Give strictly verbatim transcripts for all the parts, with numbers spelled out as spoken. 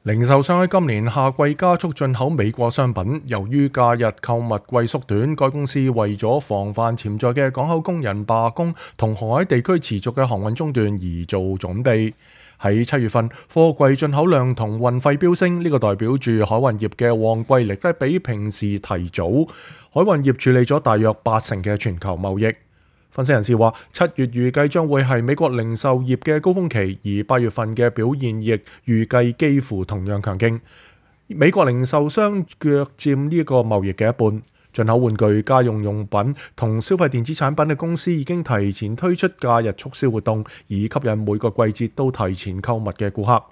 零售商喺今年夏季加速進口美國商品，由於假日購物季縮短，該公司為咗防範潛在嘅港口工人罷工同航海地區持續嘅航運中斷而做準備。喺七月份，貨櫃進口量同運費飆升，呢、這個代表住海運業嘅旺季嚟得比平時提早。海運業處理咗大約八成嘅全球貿易。分析人士話，七月預計將會係美國零售業嘅高峰期，而八月份嘅表現亦預計幾乎同樣強勁。美國零售商約佔呢個貿易嘅一半。進口玩具、家用用品同消費電子產品嘅公司已經提前推出假日促銷活動，以吸引每個季節都提前購物嘅顧客。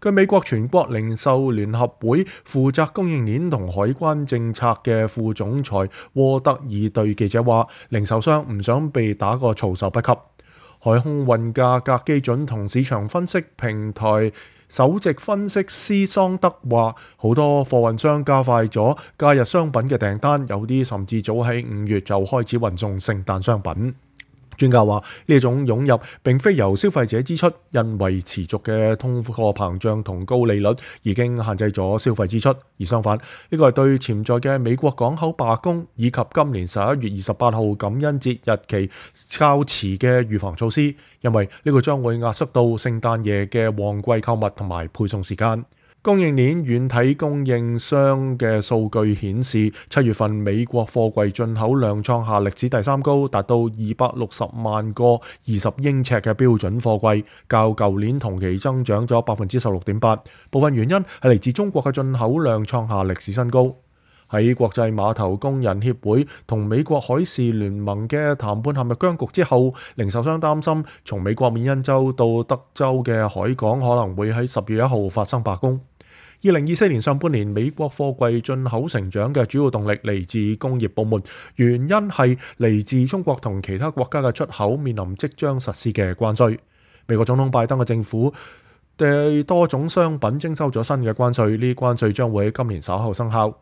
據美國全國零售聯合會負責供應鏈同海關政策嘅副總裁沃德爾對記者話，零售商唔想被打個措手不及。海空運價格基準同市場分析平台首席分析師桑德話，好多貨運商加快咗假日商品嘅訂單，有啲甚至早喺五月就開始運送聖誕商品。專家話，呢種湧入並非由消費者支出，因為持續嘅通貨膨脹同高利率已經限制咗消費支出。而相反，呢個係對潛在嘅美國港口罷工以及今年十一月二十八號感恩節日期較遲嘅預防措施，因為呢個將會壓縮到聖誕夜嘅旺季購物同埋配送時間。供應鏈軟體供應商嘅數據顯示，七月份美國貨櫃進口量創下歷史第三高，達到二百六十萬個二十英尺嘅標準貨櫃，較舊年同期增長咗百分之十六點八。部分原因係嚟自中國嘅進口量創下歷史新高。喺國際碼頭工人協會同美國海事聯盟嘅談判陷入僵局之後，零售商擔心從美國緬因州到德州嘅海港可能會喺十月一號發生罷工。二零二四年上半年，美國貨櫃進口成長嘅主要動力嚟自工業部門，原因係嚟自中國同其他國家嘅出口面臨即將實施嘅關稅。美國總統拜登嘅政府對多種商品徵收咗新嘅關稅，呢啲關稅將會喺今年稍後生效。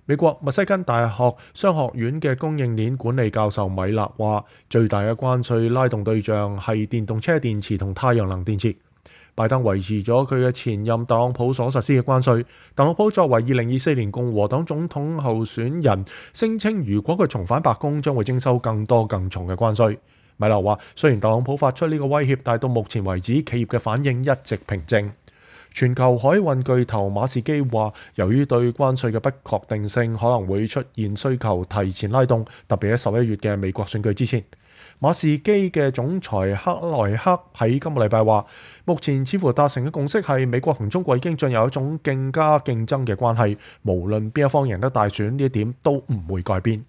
美國密西根大學商學院嘅供應鏈管理教授米勒話，最大嘅關稅拉動對象係電動車電池同太陽能電池。拜登維持咗佢嘅前任特朗普所實施嘅關稅。特朗普作為二零二四年共和黨總統候選人，聲稱如果佢重返白宮，將會徵收更多更重嘅關稅。米勒話，雖然特朗普發出呢個威脅，但到目前為止，企業嘅反應一直平靜。全球海運巨頭馬士基話，由於對關稅嘅不確定性，可能會出現需求提前拉動，特別喺十一月嘅美國選舉之前。馬士基嘅總裁克萊克喺今個禮拜話，目前似乎達成嘅共識係美國同中國已經進入一種更加競爭嘅關係，無論邊一方贏得大選，呢一點都唔會改變。